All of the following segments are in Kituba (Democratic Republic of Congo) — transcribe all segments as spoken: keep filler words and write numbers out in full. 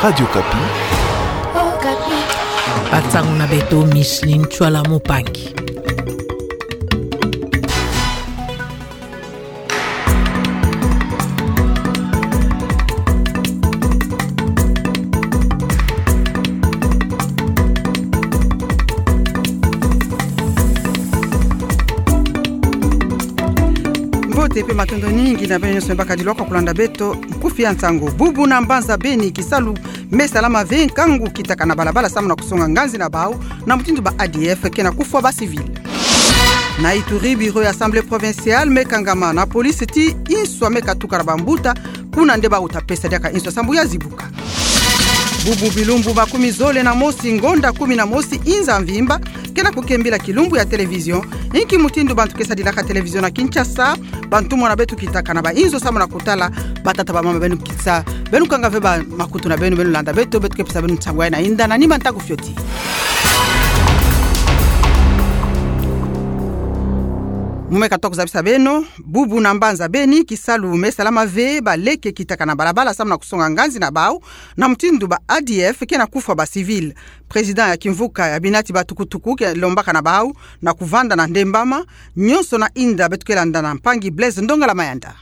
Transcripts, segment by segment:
Radio Okapi. Okapi. Ba nsangu na beto, Micheline Tshuala Mupangi. Mbote mpe matondo mingi na beno nyonso me bakadiloka kulanda beto nkufi ya nsangu. Bubu na mbanza Beni, kisalu me salama ve, nkangu kitaka na balabala samu na kusonga nganzi na bau, na mutindu ba A D F ke na kufwa ba civil. Na Ituri, bureau ya Assemblée provinciale me kangama na police ti inswa me katuka na bambuta, kuna nde bauta pesa diaka inswa sambu ya zibuka. Bubu bilumbu makumi zole na mosi, ngonda kumi na mosi inza mvimba ke na kukembila kilumbu ya télévision. Inki mutindu bantu ke sadilaka télévision na Kinshasa? Bantumwa na beto kitaka na ba inzo samu na kutala. Batata, bamama, beno kisa, beno kanga ve ba makutu na beno, beno landa beto, beto ke pesa beno nsangu ya na inda na nima ntangu fioti. Mu me katoka zabisa beno, bubu na mbanza Beni, kisalu me salama ve, baleke kitaka na balabala samu na kusonga nganzi na bau, na mutindu ba A D F ke na kufwa ba civil. Président ya kimvuka ya binati ba tukutuku ke lombaka na bau na kuvanda na ndembama, nyonso na inda beto ke landa na mpangi Blaise Ndongala Mayanda.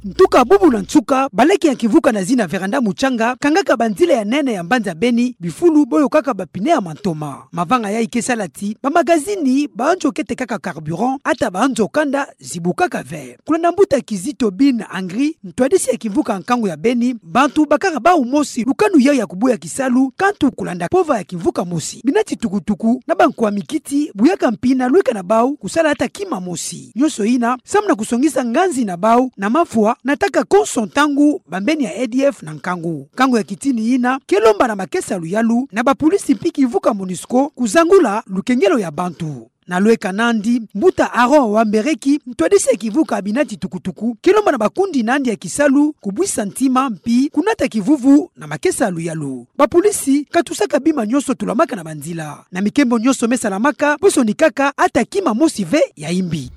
Ntuka bubu na nsuka, baleke ya kimvuka na zina Véranda Mutsanga kangaka banzila ya nene ya mbanza Beni bifulu bo yokaka ba pneu ya mantoma. Mavanga yayi ke sala ti ba magazini, banzo ke tekaka carburant, ata banzo kanda zibukaka ve. Kulanda mbuta Kizito Bin Angri, ntwadisi ya kimvuka nkangu ya Beni, bantu bakaka bau mosi lukanu yayi ya kubuya kisalu, kantu kulanda pova ya kimvuka mosi. Binati tukutuku na bankwa mikiti buyaka mpi na lweka na bau kusala ata kima mosi. Nyonso ina samu na kusongisa nganzi na bau na mafwa, nataka konso ntangu bambeni ya A D F na nkangu. Nkangu ya kitini ina ke lomba na makesa luyalu na bapolisi mpi kimvuka MONUSCO kuzangula lukengelo ya bantu. Na lweka nandi, mbuta Aaron Wambereki, ntwadisi ya kimvuka binati tukutuku, ke lomba na bakundi nandi ya kisalu kubwisa ntima mpi kunata kivuvu na makesa luyalu. Bapolisi katusaka bima nyonso tulamaka na banzila. Na mikembo nyonso me salamaka, po sonikaka ata kima mosi ve ya imbi.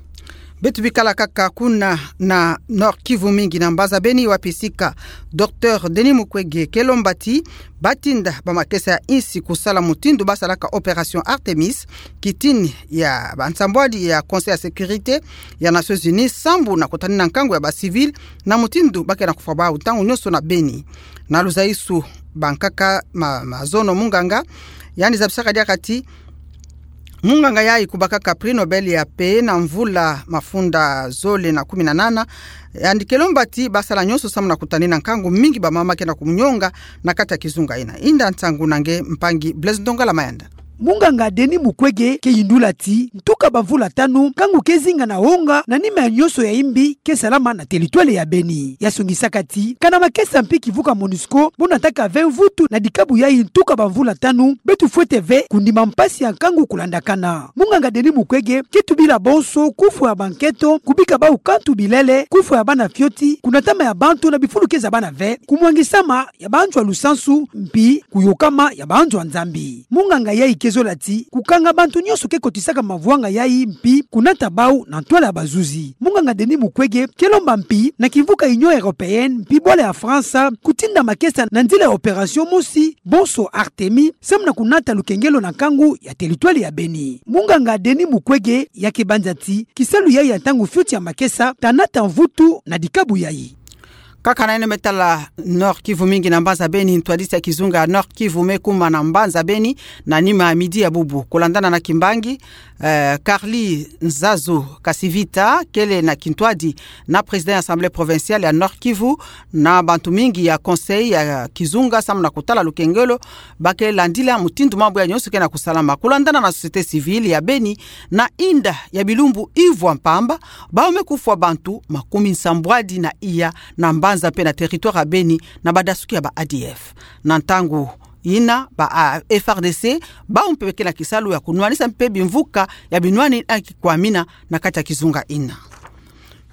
Beto bikala kaka kuna na Nord-Kivu, mingi na mbanza Beni, wapi sika Docteur Denis Mukwege ke lomba ti batinda ba makesa ya insi kusala mutindu basalaka opération Artemis, kitini ya bansambwadi ya Conseil ya Sécurité ya Nations Unies, sambu na kutanina nkangu ya ba civil na mutindu ba ke na kufwa bau ntangu nyonso na Beni. Na luzaisu bankaka ma, mazono, munganga yandi zabisaka diaka ti munganga yayi kubakaka prix Nobel ya paix na mvula mafunda zole na kumi na nana, yandi ke lomba ti basala nyonso samu na kutanina nkangu mingi bamama ke na kunyonga na kati ya kizunga ina. Inda nsangu na nge mpangi Blaise Ndongala Mayanda. Munganga Denis Mukwege ke yindula ti ntuka bamvula tanu, nkangu ke zinga na wonga na nima ya nyonso ya imbi ke salama na territoire ya Beni. Ya songisaka ti kana makesa mpi kimvuka MONUSCO bo nataka ve mvutu na dikabu yayi ntuka bamvula tanu, beto fwete ve kundima mpasi ya nkangu kulandakana. Munganga Denis Mukwege ke tubila bonso kufwa ya banketo, kubika bau kantu bilele, kufwa ya bana fioti, kunatama ya bantu na bifulu ke zabana ve, kumwangisama ya banzo ya lusansu, mpi kuyokama ya banzo ya Nzambi. Munganga yayi ke zola ti kukanga bantu nyonso ke kotisaka mavwanga yayi mpi kunata bau na ntwala ya bazuzi. Munganga Denis Mukwege ke lomba mpi na kimvuka Union Européenne mpi bwala ya France kutinda makesa na nzila ya opération mosi, bonso Artemis, samu na kunata lukengelo na nkangu ya territoire ya Beni. Munganga Denis Mukwege ya ke banza ti kisalu yayi ya ntangu fioti ya makesa ta nata mvutu na dikabu yayi. Kaka na yeno me tala Nord-Kivu, mingi na mbanza Beni, ntwadisi ya kizunga ya Nord-Kivu me kuma na mbanza Beni na nima ya midi ya bubu. Kulandana na kimbangi, eh, Carly Nzazu Kasivita kele na kintwadi na président ya Assemblée provinciale ya Nord-Kivu na bantu mingi ya conseil ya kizunga samu na kutala lukengelo ba ke landila mutindu mambu yayi nyonso ke na kusalama. Kulandana na société civile ya Beni, na inda ya bilumbu ivwa mpamba, bau me kufwa bantu makumi nsambwadi na iya na mbanza mpe na territoire ya Beni na badasuki ya ba A D F. Na ntangu ina ba, a, F A R D C bau mpe ke na kisalu ya kunwanisa mpe bimvuka ya binwani na kikwamina na kati ya kizunga ina.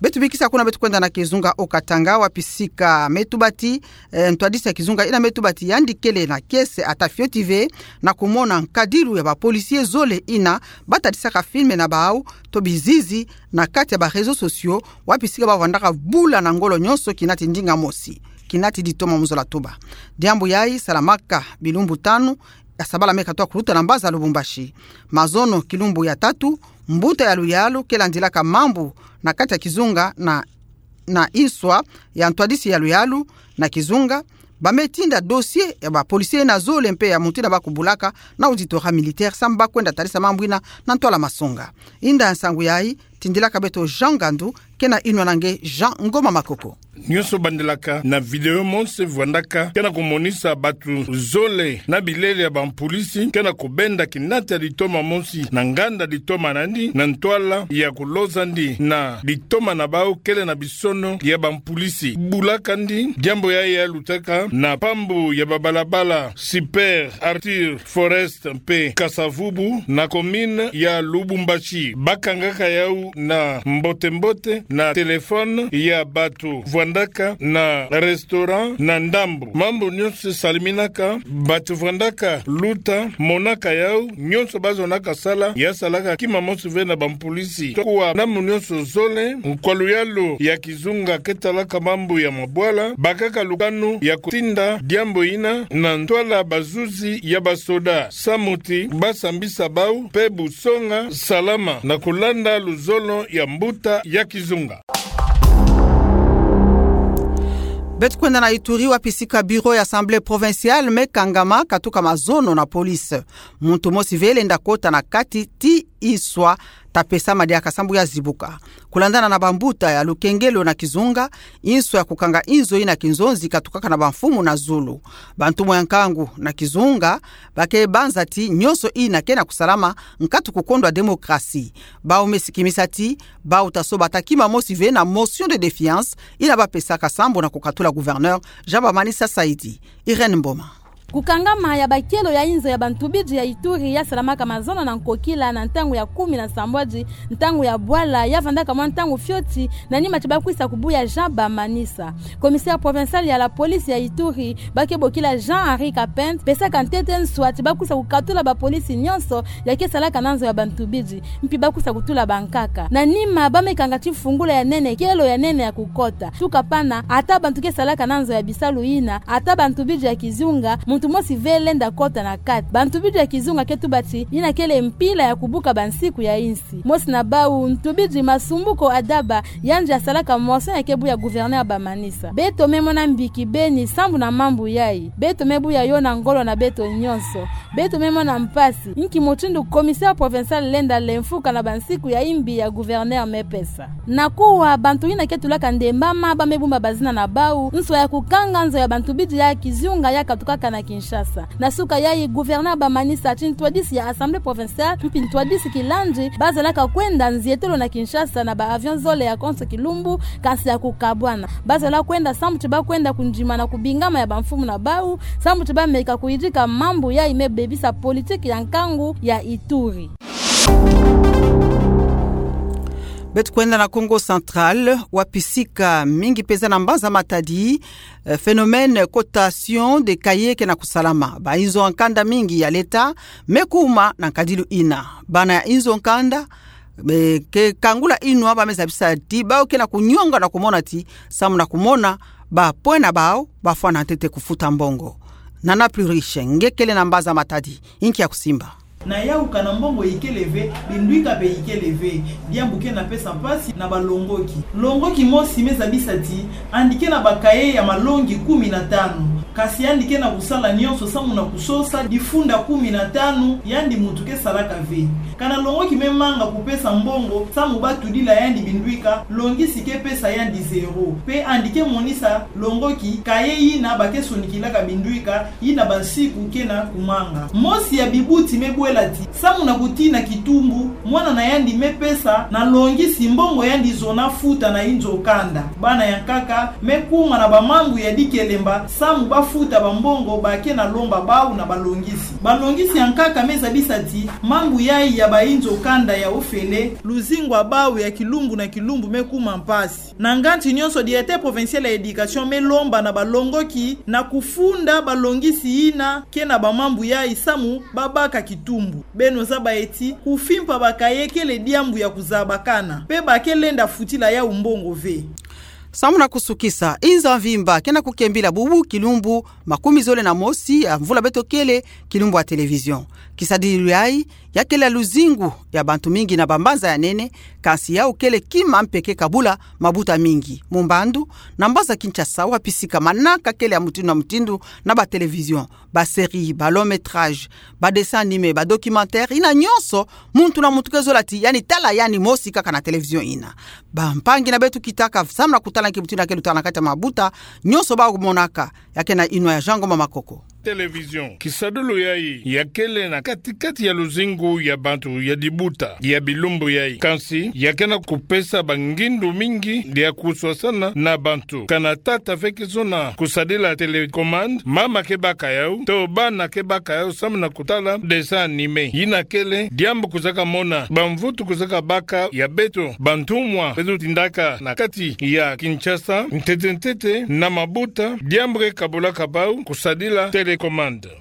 Beto bikisa kuna, beto kwenda na kizunga Haut-Katanga, wapi sika me tuba ti, eh, ntwadisi ya kizunga ina me tuba ti yandi kele na kiese ata fioti ve na kumona nkadilu ya ba policiers zole ina ba tadisaka film na bau to bizizi na kati ya ba réseaux sociaux, wapi sika ba vandaka bula na ngolo nyonso kinati ndinga mosi. kinati ditoma mu zola tuba. Diambu yayi salamaka bilumbu tanu ya sabala me katuka kuluta na mbanza Lubumbashi. Mazono kilumbu ya tatu, mbuta ya luyalu ke landilaka mambu na kati ya kizunga na, na inswa ya ntwadisi ya luyalu na kizunga, ba me tinda dossier ya ba policier na zole mpe ya muntu ina ba kubulaka na auditora militaire samu ba kwenda tadisa mambu ina na ntwala masonga. Inda nsangu yayi tindilaka beto Jean Ngandu, ke na inwa na nge Jean Ngoma Makoko. Nyonso bandilaka na video mosi vwandaka ke na kumonisa batu zole na bilele ya bampulisi ke na kubenda kinati ya ditoma mosi na nganda ditoma nandi na ntwala ya kuloza ndi na ditoma na bau kele na bisono ya bampulisi. Bulaka ndi diambu yayi ya lutaka na pambu ya babalabala Super Arthur Forest mpe Kasa-Vubu na commune ya Lubumbashi. Ba kangaka yau na mbote-mbote na téléphone ya batu vwandaka na restaurant na ndambu. Mambu nyonso saliminaka, batu vwandaka luta monaka yau, nyonso ba zonaka sala ya salaka kima mosi ve na bampulisi. Tokuwa na mu nyonso zole, nkwa luyalu ya kizunga ke talaka mambu ya mabwala, bakaka lukanu ya kutinda diambu ina na ntwala bazuzi ya basoda samu ti ba sambisa bau mpe busonga salama na kulanda luzolo ya mbuta ya kizunga. Beto kwenda na Ituri, wapi sika bureau ya Assemblée provinciale me kangama katuka mazono na police. Muntu mosi ve lenda kota na kati ti inswa ta pesama diaka sambu ya zibuka. Kulandana na bambuta ya lukengelo na kizunga, inswa ya kukanga inzo ina kinzonzi katukaka na bamfumu na zulu. Bantumwa ya nkangu na kizunga ba ke banza ti nyonso ina ke na kusalama nkatu kukondwa démocratie. Bau me sikimisa ti bau ta soba ta kima mosi ve na motion de défiance ina ba pesaka sambu na kukatula gouverneur Jean Bamanisa Saidi. Irène Mboma. Kukangama ya bakelo ya inzo ya bantubidi ya Ituri ya salamaka mazono na nkokila na ntangu ya kumi na sambwadi, ntangu ya bwala, ya vandaka mwa ntangu fioti, na nima ti ba kwisa kubuya Jean Bamanisa. Commissaire provincial ya la police ya Ituri, ba ke bokila Jean-Henri Kapend, pesaka ntete nswa ti ba kwisa kukatula bapolisi nyonso ya ke salaka na nzo ya bantubidi, mpi ba kwisa kutula bankaka. Na nima ba me kanga ti fungula ya nene, kelo ya nene ya kukota. Tuka pana, ata bantu ke salaka na nzo ya bisalu ina, ata bantubidi ya kizunga, muntu mosi ve lenda kota na kati. Bantubidi ya kizunga ke tuba ti ina kele mpila ya kubuka bansiku ya insi. Mosi na bau, ntubidi Masumbuko Adaba, yandi asalaka motion ya ke buya gouverneur Bamanisa. Beto me mona mbiki beni sambu na mambu yayi. Beto me buya yo na ngolo na beto nyonso. Beto me mona mpasi. Nki mutindu commissaire provincial lenda lemfuka na bansiku ya imbi ya gouverneur me pesa. Na kuwa, bantu ina ke tulaka ndembama ba me bumba bazina na bau, nswa ya kukanga nzo ya bantubidi ya kizunga ya katukaka na Kinshasa. Na suka yayi, gouverneur Bamanisa ti ntwadisi ya Assemblée provinciale, mpi ntwadisi kilandi, ba zalaka kwenda nzietelo na Kinshasa na ba avion zole ya konso kilumbu, kansi ya kukabwana. Ba zola kwenda sambu ti ba kwenda kundima na kubingama ya bamfumu na bau, sambu ti ba meka kuyidika mambu yayi me bebisa politique ya nkangu ya Ituri. Beto kwenda na Kongo Central, wapi sika mingi peza na mbanza Matadi, eh, phénomène cotation de cahiers ke na kusalama. Ba inzo ya nkanda mingi ya leta me kuma na nkadilu ina. Bana ya inzo ya nkanda, be ke kangula inwa ba me zabisa ti bau ke na kunyonga na kumona ti samu na kumona ba pwena bau ba fwana ntete kufuta mbongo. Nana Pluriche, nge kele na mbanza Matadi, inki ya kusimba? Na yauka na mbongo ikele ve, bindwika mpe ikele ve, diambu ke na pesa mpasi na balongoki. Longoki mosi me zabisa ti yandi ke na ba cahiers ya malongi kumi na tanu, kansi yandi ke na kusala nyonso samu na kusosa difunda kumi na tanu, yandi muntu ke salaka ve. Kana longoki me manga kupesa mbongo samu ba tudila yandi bindwika, longisi ke pesa yandi zéro. Mpe yandi ke monisa longoki cahier yina ba ke sonikilaka bindwika, yina bansiku ke na kumanga. Mosi ya bibuti me bwela ti samu na kutina kitumbu, mwana na yandi me pesa na longisi mbongo yandi zona futa na inzo ya nkanda. Bana ya nkaka me kuma na bamambu ya dikelemba samu ba futa bambongo ba ke na lomba bau na balongisi. Balongisi ya nkaka me zabisa ti mambu yayi ya ba inzo ya nkanda ya ofele, luzingu ya bau ya kilumbu na kilumbu me kuma mpasi. Na nganzi nyonso, directeur provincial ya éducation me lomba na balongoki na kufunda balongisi yina ke na bamambu yayi samu ba baka kitumbu. Beno zaba ti kufimpa ba cahiers kele diambu ya kuzabakana, mpe ba ke lenda futila yau mbongo ve. Samu na kusukisa, inza mvimba ke na kukembila bubu kilumbu makumi zole na mosi ya mvula beto kele kilumbu ya télévision. Kisadililu yayi, ya kele ya luzingu ya bantu mingi na bambanza ya nene, kansi yawu kele kima mpe ke kabula mabuta mingi. Mu mbandu, na mbanza Kinshasa, wapi sika manaka kele ya mutindu na mutindu na ba télévision, ba série, ba long métrage, ba dessin animé, ba documentaire, yina nyonso, muntu na muntu ke zola ti yandi tala yandi mosi kaka na télévision yina. Bampangi na beto kitaka samu na kutala nki mutindu ya kele lutaka na kati ya mabuta, nyonso bamonaka, ya ke na inwa ya Jean Ngoma Makoko. Télévision, kisadulu yayi, ya kele na kati-kati ya luzingu ya bantu ya dibuta ya bilumbu yayi. Kansi, ya ke na kupesa bangindu mingi ya kuswasana na bantu. Kana tata fekisona kusadila télécommande, mama ke baka yawu, to bana ke baka yawu samu na kutala dessin animé. Yina kele diambu kuzaka mona, bamvutu kuzaka baka ya beto bantumwa beto tindaka na kati ya Kinshasa, ntete-ntete na mabuta, diambu ke kabulaka bawu kusadila télécommande.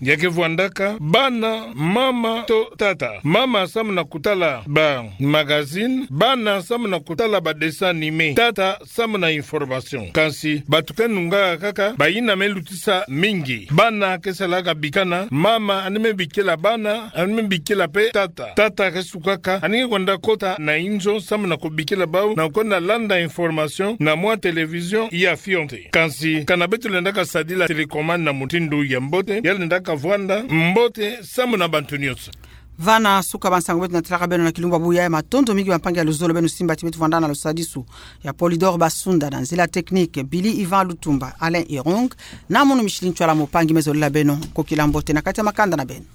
Ya ke vwandaka bana, mama to tata. Mama samu na kutala ba magazine, bana samu na kutala ba dessin animé, tata samu na information. Kansi, bato ke nungaka kaka bayina me lutisa mingi. Bana ke salaka bikana, mama yandi me bikila bana, yandi me bikila mpe tata. Tata ke sukaka, yandi ke kwenda kota na inzo samu na kubikila bawu, na kwenda landa information na mwa télévision ya fioti. Kansi, kana beto lendaka sadila télécommande na mutindu ya mbote, ya lendaka vwanda mbote samu na bantu nyonso. Vana suka ba nsangu beto natalaka beno na kilumbu bubu yayi. Matondo mingi bampangi ya luzolo beno simba ti beto vwanda na lusadisu ya Polydor Basunda, na nzila technique Billy Ivan Lutumba, Alain Irung, na munu Micheline Ntsoila, mpangi me zolela beno, kokila mbote na kati ya makanda na beno.